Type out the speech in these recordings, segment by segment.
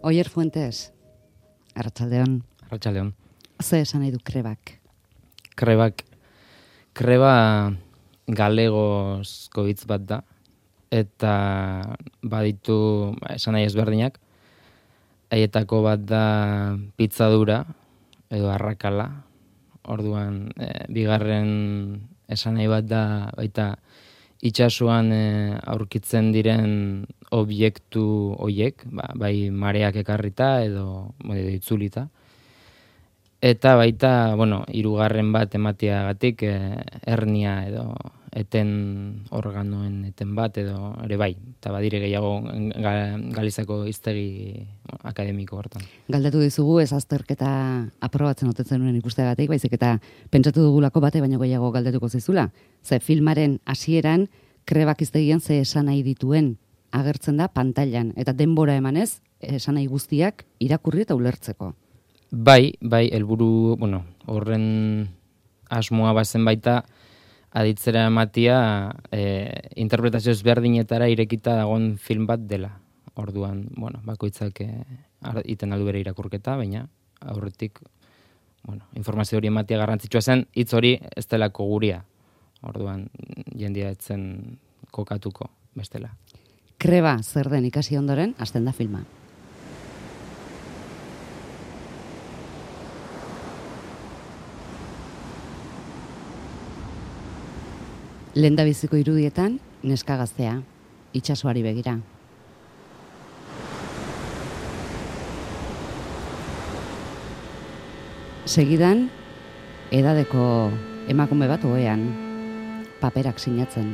Oier Fuentes, arratsaldeon. Arratsaldeon. Ze esan nahi du krebak? Kreba galegozko hitz bat da, eta baditu esan nahi ezberdinak. Haietako bat da pitzadura edo arrakala. Orduan, bigarren esan nahi bat da baita itsasoan aurkitzen diren objektu hoiek, bai mareak ekarrita edo itzulita. Eta baita, hirugarren bat emateagatik hernia edo eten organoen eten bat edo ere bai. Eta badire gehiago Galizako hiztegi akademiko hortan. Galdetu dizugu ez azterketa aprobatzen otetzen nuen ikusteagatik, baizik eta pentsatu dugulako bate baino gehiago galdetuko zizula. Ze filmaren hasieran krebak hiztegian ze esan nahi dituen agertzen da pantailan eta denbora emanez esan nahi guztiak irakurri eta ulertzeko. Bai, helburu, horren asmoa bazen baita aditzera ematia interpretazio ezberdinetara irekita dagoen film bat dela. Orduan, bakoitzak iten aldu bere irakurketa, baina aurretik informazio hori ematia garrantzitsua zen, hitz hori ez delako guria. Orduan, jendia etzen kokatuko bestela. Kreba zer den ikasi ondoren, hasten da filma. Lehendabiziko irudietan, neska gaztea, itsasoari begira. Segidan, edadeko emakume bat ohean, paperak sinatzen.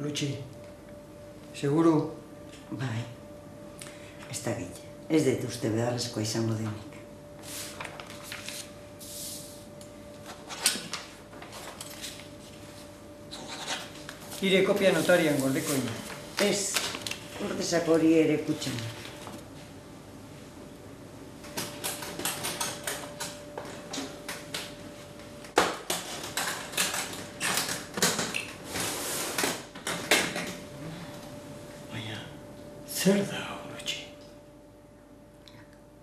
Lutxi, seguru? Bai, ez da gile. Ez dut uste beharrezkoa izango denik. Hire kopia notarian gordeko ina. Ez, ordezak hori ere kutxan. Zer da, Lutxi?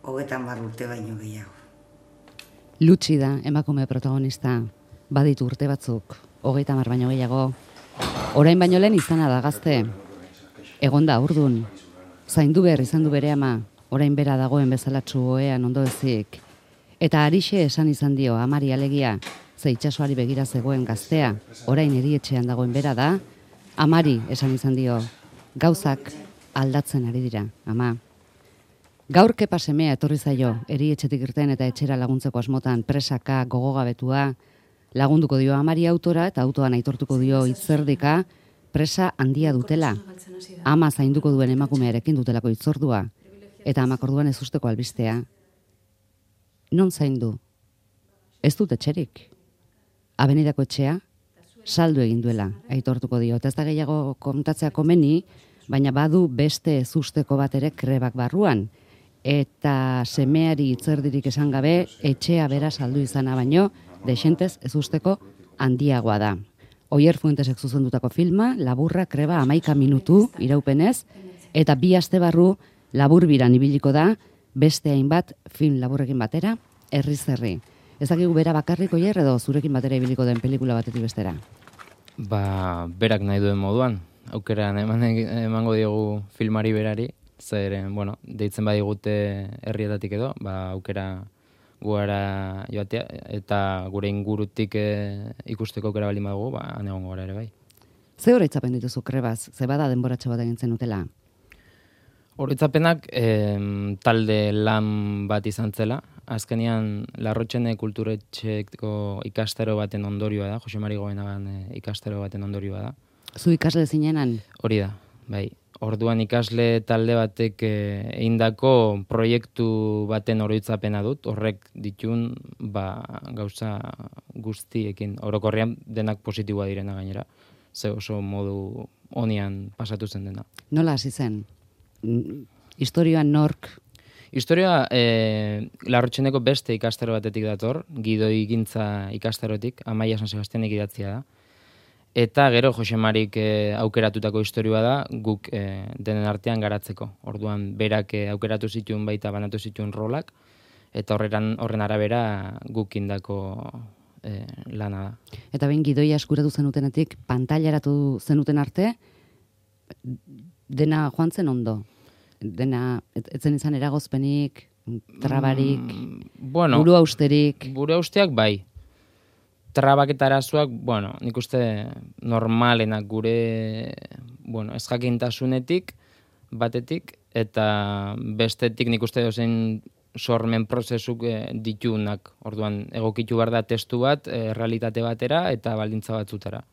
30 urte baino gehiago. Lutxi da emakume protagonista, baditu urte batzuk, 30 baino gehiago. Orain baino lehen izana da gazte. Egonda urdun. Zaindu behar izan du bere ama, orain bera dagoen bezalatsu ohean ondo ezik. Eta Arixe esan izan dio amari alegia, ze itsasoari begira zegoen gaztea, orain erietxean dagoen bera da, amari esan izan dio, gauzak aldatzen ari dira, ama. Gaur kepa semea etorri zaio, erietxetik irten eta etxera laguntzeko asmotan presaka, gogogabetua, lagunduko dio amari autora eta autoan aitortuko dio hitzerdika, presa handia dutela. Ama zainduko duen emakumearekin dutelako hitzordua, eta amak orduan ez usteko albistea. Non zaindu? Ez dut etxerik. Abenidako etxea, saldu egin duela, aitortuko dio. Eta ez da gehiago kontatzea komeni, baina badu beste ezusteko bat ere krebak barruan. Eta semeari hitzerdirik esan gabe, etxea bera saldu izana baino, desentez ezusteko handiagoa da. Oier Fuentesek zuzendutako filma, laburra, kreba, 11 minutu iraupenez, eta 2 aste barru laburbiran ibiliko da, beste hainbat film laburrekin batera, herriz herri. Ezakigu bera bakarrik Oier edo zurekin batera ibiliko den pelikula batetik bestera? Berak nahi duen moduan. Aukeran emango diogu filmari berari, zeren, deitzen badigute herrietatik edo, aukera guara joatea, eta gure ingurutik ikusteko aukera baldin badugu, han egongo gara ere bai. Ze oroitzapen dituzu krebaz, ze bada denboratxo bat egin zenutela? Oroitzapenak talde lan bat izan zela, azkenean Larrotxene kulturetxeko ikastaro baten ondorioa da, Jose Mari Goenagan ikastaro baten ondorioa da. Zu ikasle zinenan? Hori da, bai. Orduan ikasle talde batek egindako proiektu baten oroitzapena dut, horrek ditun gauza guztiekin, orokorrean denak positiboa direna gainera, ze oso modu honian pasatu zen dena. Nola hasi zen? Historioan nork? Historia Larrotxendeko beste ikastaro batetik dator, gidoigintza ikastarotik, Amaia San Sebastianek idatzia da. Eta gero Jose Marik aukeratutako historioa da guk denen artean garatzeko. Orduan berak aukeratu zituen baita banatu zituen rolak, eta horren arabera guk indako lana da. Eta behin gidoia eskuratu zenutenetik, pantailaratu zenuten arte, dena joan zen ondo? Dena, etzen izan eragozpenik, trabarik, buru austerik? Buru austeak bai. Trabak eta arazoak, nik uste normalenak gure, ez jakintasunetik, batetik, eta bestetik nik uste dozein sormen prozesuk ditunak. Orduan, egokitu behar da testu bat, realitate batera eta baldintza batzutara.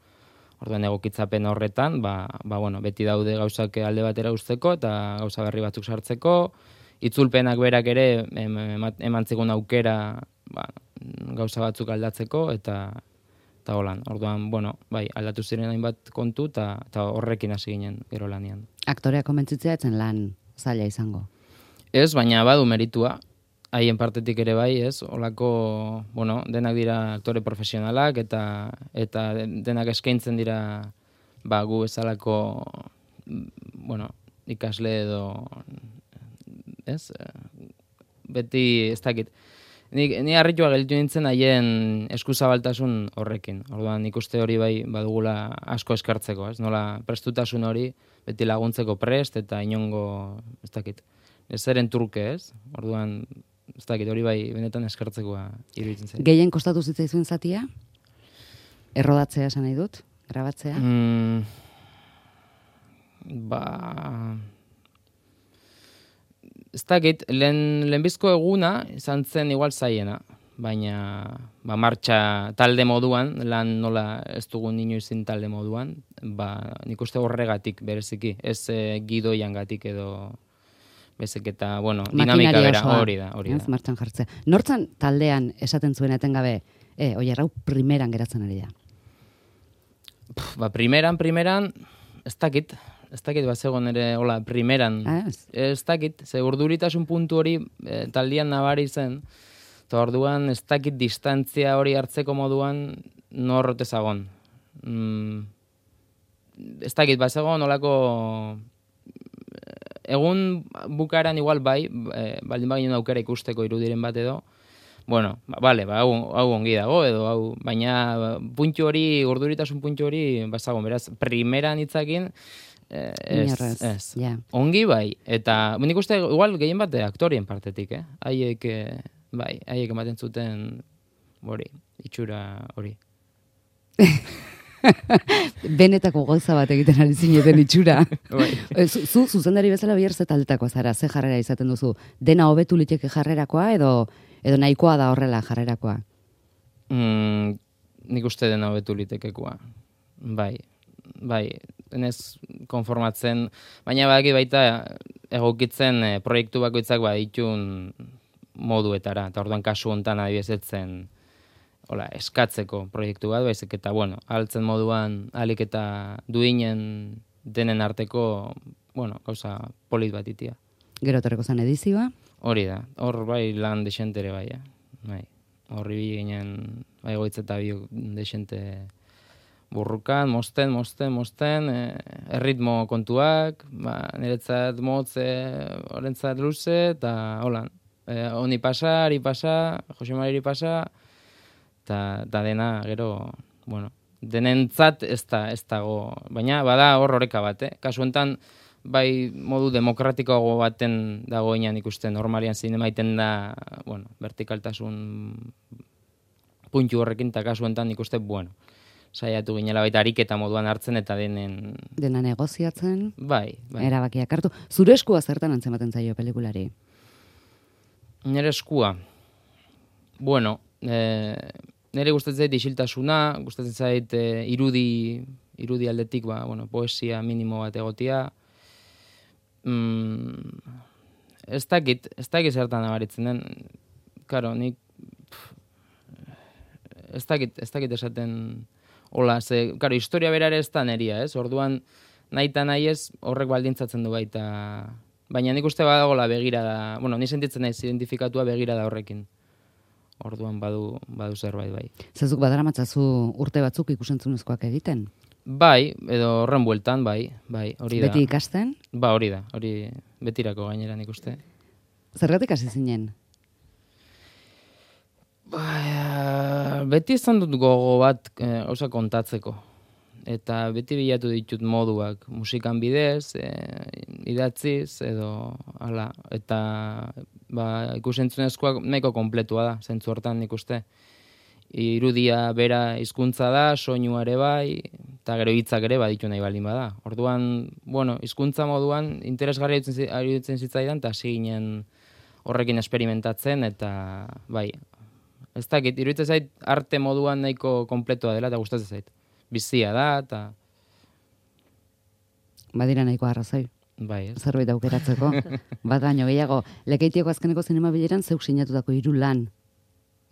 Orduan, egokitzapen horretan, beti daude gauzak alde batera usteko eta gauza berri batzuk sartzeko, itzulpenak berak ere eman zigun aukera gauza batzuk aldatzeko eta holan. Orduan, aldatu ziren hainbat kontu eta horrekin hasi ginen gero lanian. Aktorea komentzitzea etzen lan zaila izango? Ez, baina badu meritua. Haien partetik ere bai, ez? Olako, denak dira aktore profesionalak eta denak eskaintzen dira gu bezalako ikasle edo ez? Beti ez dakit. Ni harritua gelditu nintzen haien eskuzabaltasun horrekin. Orduan ikuste hori bai badugula asko eskartzeko, ez? Nola prestutasun hori beti laguntzeko prest eta inongo, ez dakit. Ez zeren turke, ez? Orduan, ez dakit, hori bai benetan eskartzekoa iruditzen zen. Gehien kostatu zitzaizuen zatia? Errodatzea esan nahi dut? Grabatzea? Ez dakit, lehenbizko eguna izan zen igual zaiena, baina martxa talde moduan, lan nola ez dugun inoizin talde moduan, nik uste horregatik bereziki, ez gidoiangatik edo bezek eta, dinamika bera, hori da. Martxan jartzea. Nortzan taldean esaten zuen etengabe, oier hau primeran geratzen ari da? Primeran, ez dakit, bazegon ere, hola, primeran, ez dakit, ze urduritasun puntu hori taldean nabari zen, eta orduan ez dakit distantzia hori hartzeko moduan norrote zagon. Ez dakit, bazegon holako egun bukaeran igual bai, baldin baginen aukera ikusteko irudiren bat edo, hau ongi dago edo, baina puntu hori, urduritasun puntu hori, bazagon, beraz, primeran hitzakin, ez. Ongi bai, eta nik uste igual gehien bat aktorien partetik, haiek ematen zuten itxura hori. Benetako gauza bat egiten ari zineten itxura. Zu zuzendari bezala bihar ze taldetako zara, ze jarrera izaten duzu? Dena hobetu liteke jarrerakoa edo nahikoa da horrela jarrerakoa? Nik uste dena hobetu litekekoa. Bai, enez konformatzen, baina baita egokitzen proiektu bakoitzak ditun moduetara, eta orduan kasu hontan adibiezetzen eskatzeko proiektu bat, baizik eta, altzen moduan alik eta duinen denen arteko, gauza polit bat itia. Gero torreko zen edizioa? Hori da, hor bai lan desentere bai. Horri ginen, goitz eta bi desente burrukan, mosten, erritmo kontuak, niretzat motz, horrentzat luze, eta holan. Honi pasa, ari pasa, Jose Mariri pasa, eta dena, gero, denentzat ez dago, baina bada horreka bat, Kasu enten, bai modu demokratikoago baten dagoenan ikusten, normalian zinema iten da, vertikaltasun puntu horrekin, eta kasu enten ikusten, saiatu ginela baita ariketa moduan hartzen eta denen... Dena negoziatzen? Bai. Erabakiak hartu. Zure eskua zertan antzematen zaio pelikulari? Nire eskua? Nire gustatzen zait isiltasuna, gustatzen zait irudi aldetik, poesia minimo bat egotia, Ez dakit zertan nabaritzen den. Karo, nik ez dakit esaten hola, karo, historia berare ez da neria, ez? Orduan, nahi eta nahi ez, horrek baldintzatzen du baita. Baina nik uste badagola begirada, bueno, ni sentitzen naiz identifikatua begirada horrekin. Orduan badu zerbait bai. Zezuk badaramatzazu urte batzuk ikusentzunezkoak egiten? Bai, edo horren bueltan, bai, hori da. Beti ikasten? Ba, hori da, hori betirako gainera nik uste. Zergatik hasi zinen? Beti izan dut gogo bat gauza kontatzeko. Eta beti bilatu ditut moduak, musikan bidez, idatziz, edo hala. Eta ikusentzunezkoak nahiko kompletua da, zentzu hortan nik uste. Irudia bera hizkuntza da, soinua ere bai, eta gero hitzak ere baditu nahi baldin bada. Orduan, bueno, hizkuntza moduan interesgarria iruditzen zitzaidan, eta hasi ginen horrekin experimentatzen, eta bai, ez dakit, iruditzen zait arte moduan nahiko kompletua dela, eta gustatzen zait. Bizia da, eta... Badira nahiko arrazoi. Bai, ez. Zerbait aukeratzeko. Bat baino gehiago, Lekeitioko azkeneko zinema bileran zeuk sinatutako 3 lan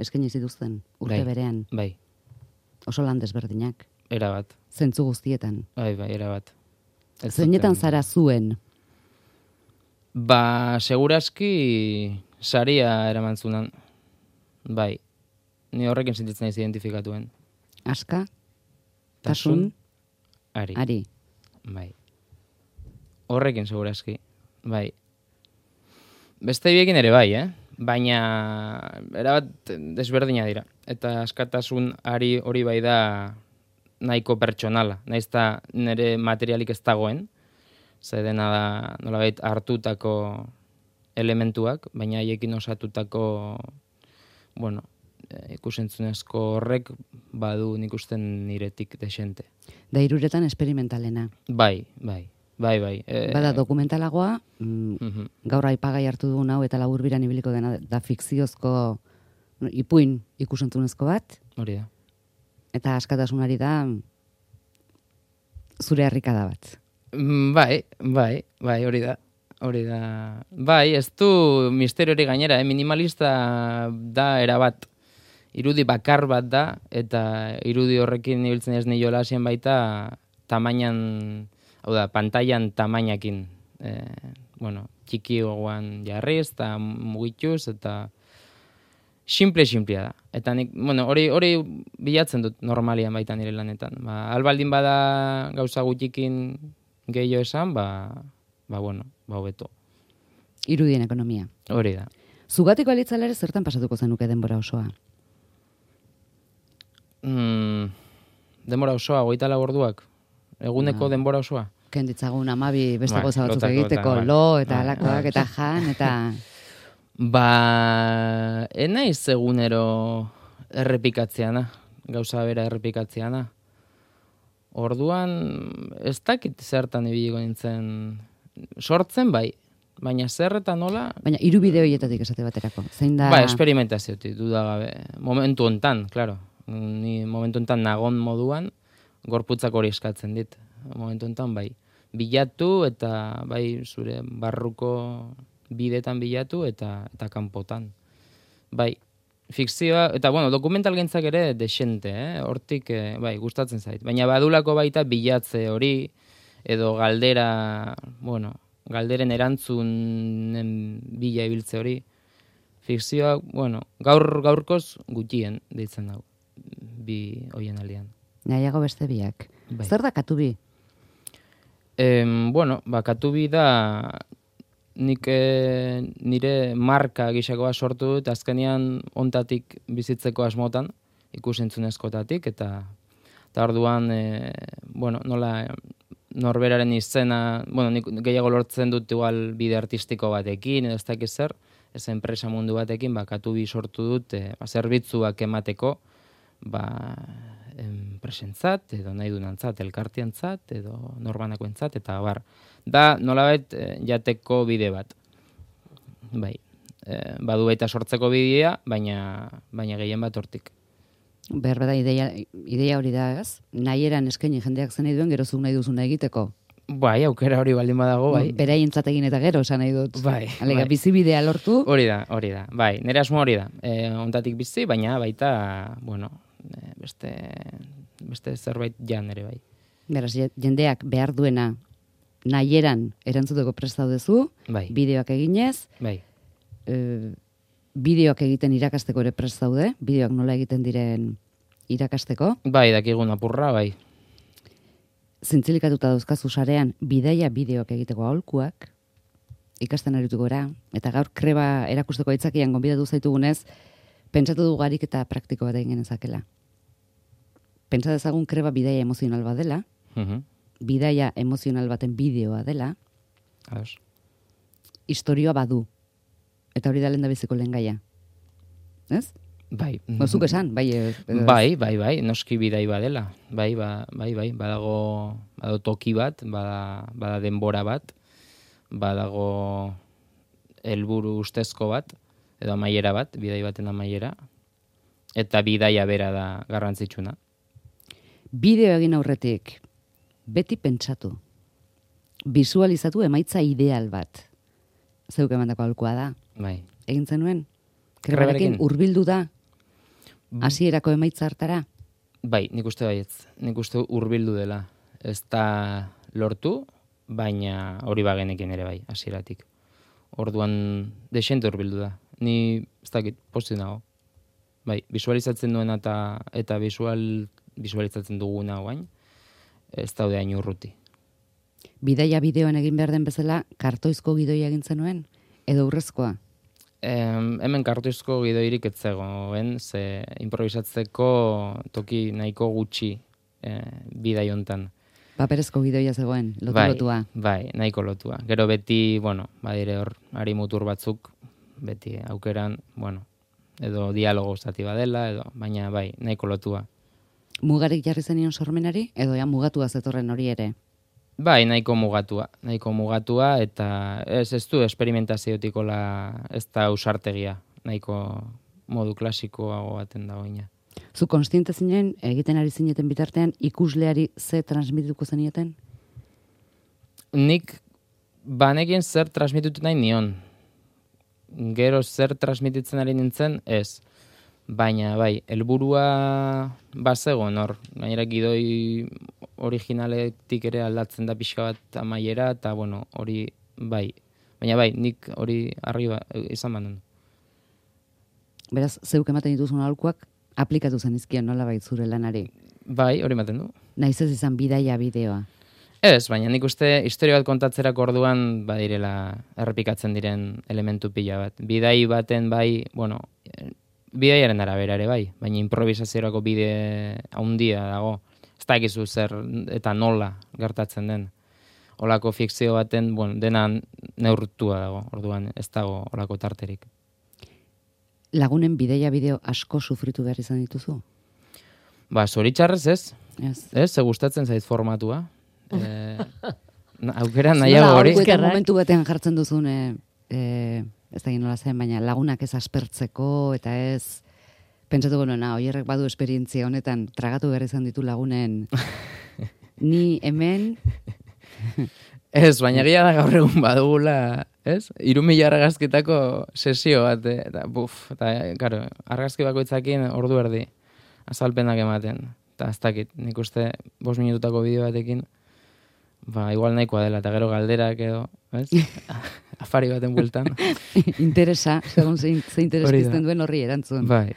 eskaini zituzten urte berean. Bai. Oso lan desberdinak. Erabat. Zentzu guztietan. Bai, erabat. Zeinetan zara zuen? Ba, seguraski saria eraman zunan. Bai. Ni horrekin sentitzen naiz identifikatuen. Aska? Tasun? Ari. Bai. Horrekin segurazki. Bai. Beste biekin ere bai, baina erabat desberdina dira. Eta askatasun ari hori bai da nahiko pertsonala. Naiz eta nire materialik ez dagoen. Ze dena da nolabait hartutako elementuak, baina haiekin osatutako, bueno, ikusentzunezko horrek badu nik usten niretik desente. Da iruretan esperimentalena. Bai. Bada dokumentalagoa, gaur aipagai hartu dugun hau eta laburbiran ibiliko dena da fikziozko ipuin ikusentzunezko bat. Hori da. Eta askatasunari da zure harrikada bat. Bai, hori da. Bai, ez du misterio hori gainera, minimalista da erabat. Irudi bakar bat da, eta irudi horrekin ibiltzen ez niola hasien baita tamainan, hau da, pantailan tamainakin, txiki gogoan jarriz, eta mugituz, eta simplea da. Eta nik, hori bilatzen dut normalian baita nire lanetan. Albaldin bada gauza gutxikin gehiago esan, hobeto. Irudien ekonomia. Hori da. Zugatiko alitzalere zertan pasatuko zenuke denbora osoa? Denbora osoa, 24 orduak. Eguneko denbora osoa. Kenditzagun 12 beste goza batzuk egiteko, eta alakoak, eta jan, eta... Enaiz egunero errepikatzeana, gauza bera errepikatzeana. Orduan, ez dakit zertan ibiliko nintzen, sortzen bai, baina zer eta nola... Baina 3 bideo hietatik esate baterako, zein da... Experimentaziotik, dudagabe, momentu hontan, klaro. Ni momentu hontan nagon moduan, gorputzak hori eskatzen dit. Momentu hontan bai, bilatu eta bai zure barruko bidetan bilatu eta kanpotan. Bai, fikzioa, eta dokumental gintzak ere desente, hortik bai, gustatzen zait. Baina badulako baita bilatze hori, edo galderen erantzunen bila ibiltze hori. Fikzioa, gaurkoz gutxien deitzen dago, bi hoien aldean. Nahiago beste biak. Bai. Zer da Katubi? Katubi da nik nire marka gisakoa sortu dut, azkenean ontatik bizitzeko asmotan, ikusentzunezkotatik, eta orduan, nola norberaren izena, nik gehiago lortzen dut igual bide artistiko batekin, edo ez dakiz zer, ez enpresa mundu batekin, Katubi sortu dut, zerbitzuak emateko, enpresentzat, edo nahi dunantzat, elkartiantzat, edo norbanakoentzat, eta bar. Da, nolabait, jateko bide bat. Bai, badu baita sortzeko bidea, baina gehien bat hortik. Behar bada ideia hori da, ez? Nahi eran eskaini jendeak zen nahi duen, gerozuk nahi duzuna egiteko. Bai, aukera hori baldin badago, bai. Beraientzat egin eta gero, esan nahi dut. Bai, Alega, bai. bizibidea lortu. Hori da. Bai, nire asmo hori da. Ontatik bizi, baina baita, bueno, beste zerbait jan ere bai. Beraz, jendeak behar duena nahieran erantzuteko prest daudezu, Bai. bideoak eginez, Bai. bideoak egiten irakasteko ere prest daude, bideoak nola egiten diren irakasteko. Bai, dakigun apurra, bai. Zintzilikatuta dauzkazu sarean bidaia bideoak egiteko aholkuak, ikasten arituko gara, eta gaur kreba erakusteko aitzakian gonbidatu zaitugunez, pentsatu dugu garik eta praktiko bat egin genezakela. Pentsa dezagun kreba bidaia emozional bat dela, bidaia emozional baten bideoa dela, Ados. historioa badu. Eta hori da lehen da biziko lehen gaia. Ez? Bai. Zuk esan, bai. Bai, noski bidai badela. Bai, badago toki bat, bada denbora bat, badago helburu ustezko bat, edo amaiera bat, bidai baten amaiera, eta bidaia bera da garrantzitsuna. Bideo egin aurretik, beti pentsatu. Visualizatu emaitza ideal bat. Zeuk emandako aholkua da. Bai. Egin zenuen? Krebarekin hurbildu da? Hasierako emaitza hartara? Bai, nik uste baietz. Nik uste hurbildu dela. Ez da lortu, baina hori bagenekin ere bai, hasieratik. Orduan, desente hurbildu da. Ni, ez dakit, pozik nago. Bai, visualizatzen duena eta visualizatzen duguna guain, ez daude hain urruti. Bidaia bideoan egin behar den bezala, kartoizko gidoia egin zenuen? Edo urrezkoa? Hemen kartoizko gidoirik ez zegoen, ze improvisatzeko toki nahiko gutxi bidai hontan. Paperezko gidoia zegoen, lotua. Bai, nahiko lotua. Gero beti, badire hor, ari mutur batzuk, beti aukeran, edo dialogo zati badela, baina bai, nahiko lotua. Mugarik jarri zenion sormenari, edo ja mugatua zetorren hori ere? Bai, nahiko mugatua, eta ez du esperimentazioetikola ez da ausartegia, nahiko modu klasikoago baten dagoina. Zu konstiente zinen, egiten ari zineten bitartean, ikusleari ze transmituko zenioten? Nik banekien zer transmitutu nahi nion. Gero zer transmititzen ari nintzen, ez. Baina, bai, helburua bazegoen hor. Gainera gidoi originaletik ere aldatzen da pixka bat amaiera, eta, hori, bai. Baina, bai, nik hori argi izan banen. Beraz, zeuk ematen dituzun aholkuak, aplikatu zenizkion nola bait zure lanari? Bai, hori ematen du. Naiz ez izan bidaia bideoa? Ez, baina nik uste historia bat kontatzerako orduan badirela errepikatzen diren elementu pila bat. Bidai baten bai, bidaiaren arabera ere bai, baina improvisaziorako bide haundia dago. Ez dakizu zer eta nola gertatzen den. Olako fikzio baten, dena neurtua dago, orduan ez dago olako tarterik. Lagunen bidaia bideo asko sufritu behar izan dituzu? Zoritxarrez ez. Ez, gustatzen zait formatua. Aukera nahiago hori. Momentu batean jartzen duzun, ez da nola zen, baina lagunak ez aspertzeko, eta ez, pentsatuko nona, oierrek badu esperientzia honetan, tragatu behar izan ditu lagunen, ni hemen... Ez, baina gila da gaur egun badugula, ez? 3.000 argazkitako sesio bat, eta, karo, argazki bakoitzakin ordu erdi, azalpenak ematen. Eta ez dakit, nik uste 5 minututako bideo batekin, igual nahikoa dela, eta gero galderak edo, ez? Afari baten bueltan. Interesa, segun ze interes pizten duen horri erantzun. Bai.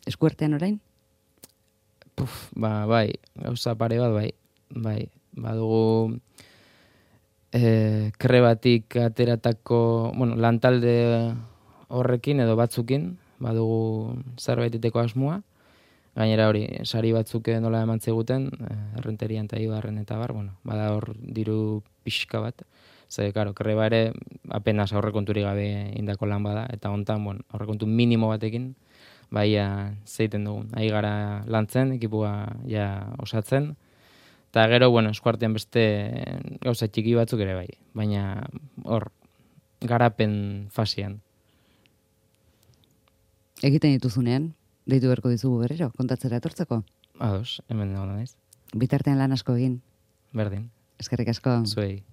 Eskuartean orain? Bai, gauza pare bat, bai. Badugu krebatik ateratako, lantalde horrekin edo batzukin, badugu zerbaiteteko asmoa, gainera hori, sari batzuk nola eman ziguten, errenterian eta ibarren eta bar, bada hor diru pixka bat, ze, karo, kreba ere apenas aurrekonturi gabe indako lan bada, eta hontan, aurrekontu minimo batekin, baia zeiten dugun. Ahi gara lantzen, ekipua ja osatzen, eta gero, eskuartean beste gauza txiki batzuk ere bai, baina hor, garapen fasian. Egiten dituzunean, deitu beharko dizugu berriro, kontatzera etortzeko? Ados, hemen dago naiz. Bitartean lan asko egin. Berdin, Eskerrik asko. zuei.